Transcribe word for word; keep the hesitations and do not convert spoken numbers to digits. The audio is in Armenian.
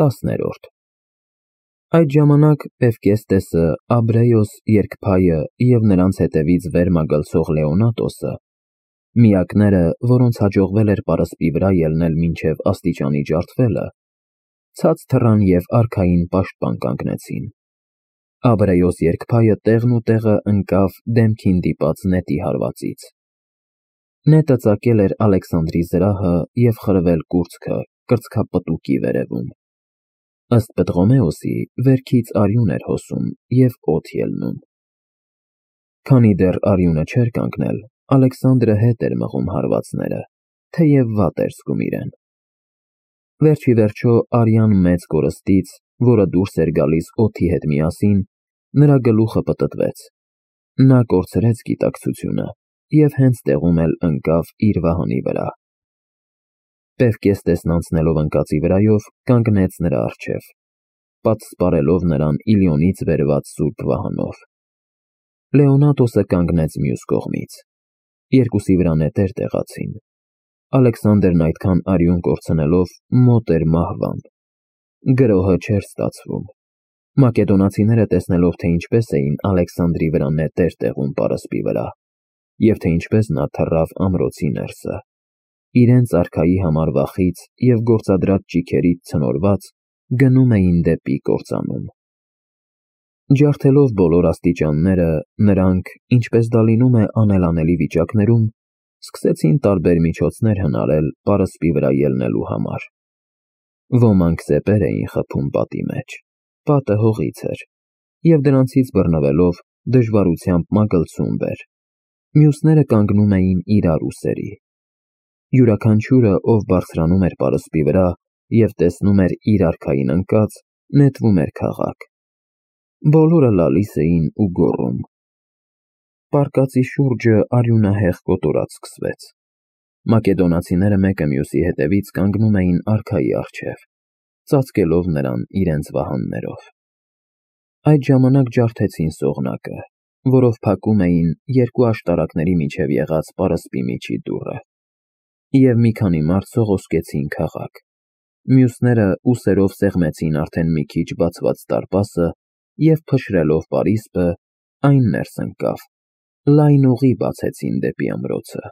տասներորդ Այդ ժամանակ Էվկեստեսը, Աբրեոս երգփայը և նրանց հետևից վեր մագլցող Լեոնատոսը, միակները, որոնց հաջողվել էր պարսպի վրա ելնել մինչև աստիճանի ջարդվելը, ցած թռան և արքային պաշտպան կանգնեցին։ Աբրեոս երգփայը տեղն ու տեղը ընկավ դեմքին դիպած նետի հարվածից։ Նետը ծակել էր Ալեքսանդրի զրահը և խրվել կուրծքը կրծքապտուկի վերևում։ Ըստ Պտղոմեոսի, վերքից արյուն էր հոսում և օդ ելնում։ Քանի դեռ արյունը չէր կանգնել, Ալեքսանդրը հետ էր մղում հարվածները, թեև վատ էր զգում իրեն։ Վերջիվերջո արյան մեծ կորստից, որը դուրս էր գալիս օդի հետ միասին, նրա գլուխը պտտվեց։ Նա կորցրեց գիտակցությունը և հենց տեղում էլ ընկավ իր վահանի վրա։ Էվկեստեսն անցնելով ընկածի վրայով, կանգնեց նրա առջև, պատսպարելով նրան Իլիոնից բերված սուրբ վահանով։ Լեոնատոսը կանգնեց մյուս կողմից։ Երկուսի վրա նետեր տեղացին։ Ալեքսանդրն այդքան արյուն կորցնելով մոտ էր մահվան։ Գրոհը չէր ստացվում։ Մակեդոնացիները տեսնելով, թե ինչպես էին Ալեքսանդրի վրա նետեր տեղում պարսպի վրա, և թե ինչպես նա թռավ ամրոցի ներսը, իրենց արքայի համար վախից և գործադրած ճիգերից ցնորված, գնում էին դեպի կործանում։ Ջարդելով բոլոր աստիճանները, նրանք, ինչպես դա լինում է անելանելի վիճակներում, սկսեցին տարբեր միջոցներ հնարել պարսպի վրա ելնելու համար։ Ոմանք սեպեր էին խփում պատի մեջ, պատը հողից էր, և դրանցից բռնվելով դժվարությամբ մագլցում վեր, մյուսները կանգնում էին իրար ուսերի։ Յուրաքանչյուրը, ով բարձրանում էր պարսպի վրա և տեսնում էր իր արքային ընկած, նետվում էր քաղաք։ Բոլորը լալիս էին ու գոռում։ Պարկածի շուրջը արյունահեղ կոտորած սկսվեց։ Մակեդոնացիները մեկը մյուսի հետևից կանգնում էին արքայի առջև, ծածկելով նրան իրենց վահաններով։ Այդ ժամանակ ջարդեցին սողնակը, որով փակում էին երկու աշտարակների միջև եղած պարսպի միջի դուռը, և մի քանի մարդ սողոսկեցին քաղաք։ Մյուսները ուսերով սեղմեցին արդեն մի քիչ բացված դարպասը և փշրելով պարիսպը, այն ներս ընկավ, լայն ուղի բացեցին դեպի ամրոցը։